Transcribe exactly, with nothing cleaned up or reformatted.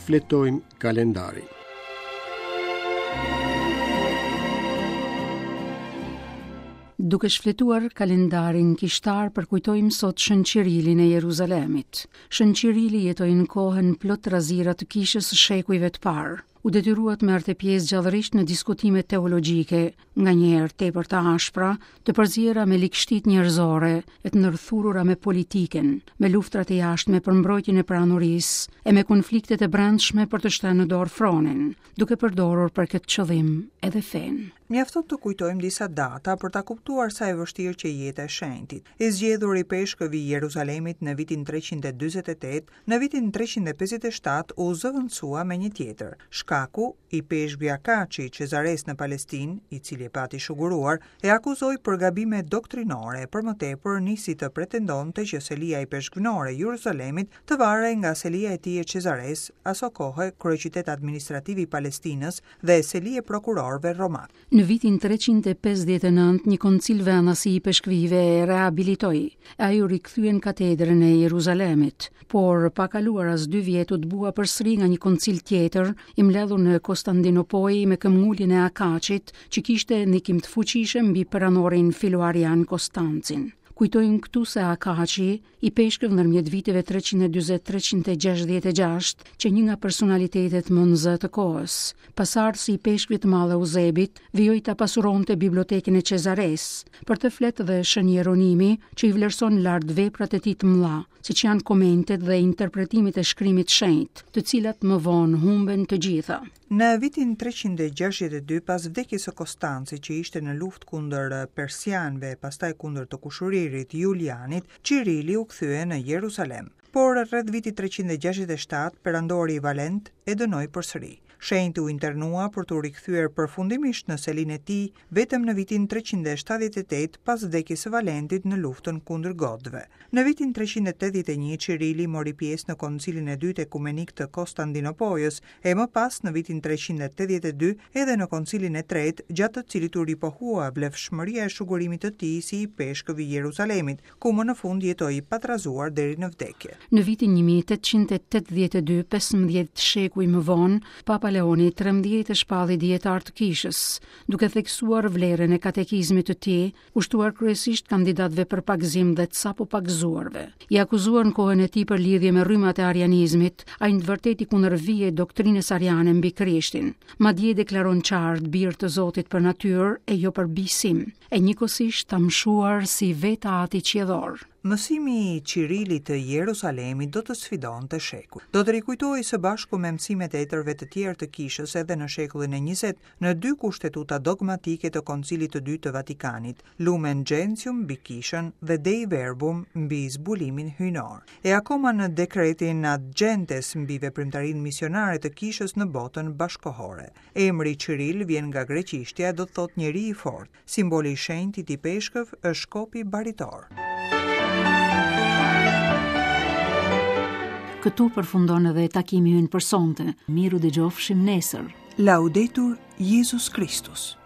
Shfletojmë kalendarin. Duke shfletuar kalendarin kishtar, përkujtojmë sot Shën Qirilin e Jeruzalemit. Shën Qirili jetoi në kohën plot trazira të kishës së shekujve të parë. U detyrua të merrte pjesë gjallërisht në diskutime teologjike, nganjëherë tepër të ashpra, të përziera me ligështitë njerëzore e të ndërthurura me politikën, me luftrat e jashtme për mbrojtjen e pranurisë e me konfliktet e brendshme për të shtënë në dorë fronin, duke përdorur për këtë qëllim edhe fenë. Mjafton të kujtojmë disa data për ta kuptuar sa e vështirë që jeta e shenjtit. I zgjedhur i peshkëv i Jeruzalemit në vitin treqind e dyzet e tetë, në vitin treqind e pesëdhjetë e shtatë u zëvendësua me një tjetër. Shkaku, i peshkvi Akaçi i Cezares në Palestinë, i cili e pati shuguruar, e akuzoi për gabime doktrinore, për më tepër nisi të pretendonte që selia i peshkvnore e Jeruzalemit të varej nga selia e tij e Cezares, aso kohe kryeqytet administrativ i Palestinës dhe seli e prokurorëve romak. Në vitin treqind e pesëdhjetë e nëntë, një koncil venasi i peshkvive e rehabilitoi. Ai u rikthye në katedrën e Jeruzalemit, por pa kaluar as dy vjet u dëbua përsëri nga një koncil tjetër, i mbledhur në Konstantinopojë me këmbguljen e Akaçit, që kishte ndikim të fuqishëm mbi peranorin filoarian Konstancin. Kujtojmë këtu se Akaçi, i peshkëv ndërmjet viteve treqind e dyzet treqind e gjashtëdhjetë e gjashtë, që një nga personalitetet më në zë të kohës, pasardhësi i peshkvit të madh Eusebit, vijoi ta pasuronte bibliotekën e Cezares, për të flet dhe Shën Jeronimi, që i vlerëson lart veprat e tij të mëdha, siç janë komentet dhe interpretimet e shkrimit shenjt, të cilat më vonë humben të gjitha. Në vitin treqind e gjashtëdhjetë e dy, pas vdekjes së Konstancit, që ishte në luftë kundër persianëve e pastaj kundër të kushëririt Julianit, Qirili u kthye në Jeruzalem. Por rreth vitit treqind e gjashtëdhjetë e shtatë, perandori Valent e dënoi përsëri. Shenjti u internua për t'u rikthyer përfundimisht në selinë e tij vetëm në vitin treqind e shtatëdhjetë e tetë pas vdekjes së Valentit në luftën kundër Gotëve. Në vitin treqind e tetëdhjetë e një Qirili mori pjesë në koncilin e dytë ekumenik të Konstantinopojës e më pas në vitin treqind e tetëdhjetë e dy edhe në koncilin e tretë, gjatë të cilit u ripohua vlefshmëria e shugurimit të tij si i peshkëv i Jeruzalemit, ku më në fund jetoi i patrazuar deri në vdekje. Në vitin një mijë e tetëqind e tetëdhjetë e dy, pesëmbëdhjetë shekuj më vonë, Papa Leoni i trembëdhjetë e shpalli dietar të kishës, duke theksuar vlerën e katekizmit të tij, kushtuar kryesisht kandidatëve për pagëzim dhe të sapo pagëzuarve. I akuzuar në kohën e tij për lidhje me rrymat e arianizmit, ai në të vërtetë i kundërvihej doktrinës ariane mbi Krishtin. Madje deklaron qartë bir të Zotit për natyrë e jo për bisim, e njëkohësisht ta mshuar si vetë Ati qiellor. Mësimi i Qirilit të Jerusalemit do të sfidonte shekuj. Do të rikujtohej së bashku me mësimet e etërve të tjerë të kishës edhe në shekullin e njëzet në dy kushtetuta dogmatike të Koncilit të Dytë të Vatikanit, Lumen Gentium mbi kishën dhe Dei Verbum mbi zbulimin hyjnor. E akoma në dekretin Ad Gentes mbi veprimtarinë misionare të kishës në botën bashkohore. Emri Qiril vjen nga greqishtja e do të thotë njeri i fortë. Simboli i shenjtit i peshkëv është shkopi baritor. Këtu përfundon edhe takimi ynë për sonte. Miru dëgjofshim nesër. Laudetur Jezus Kristus.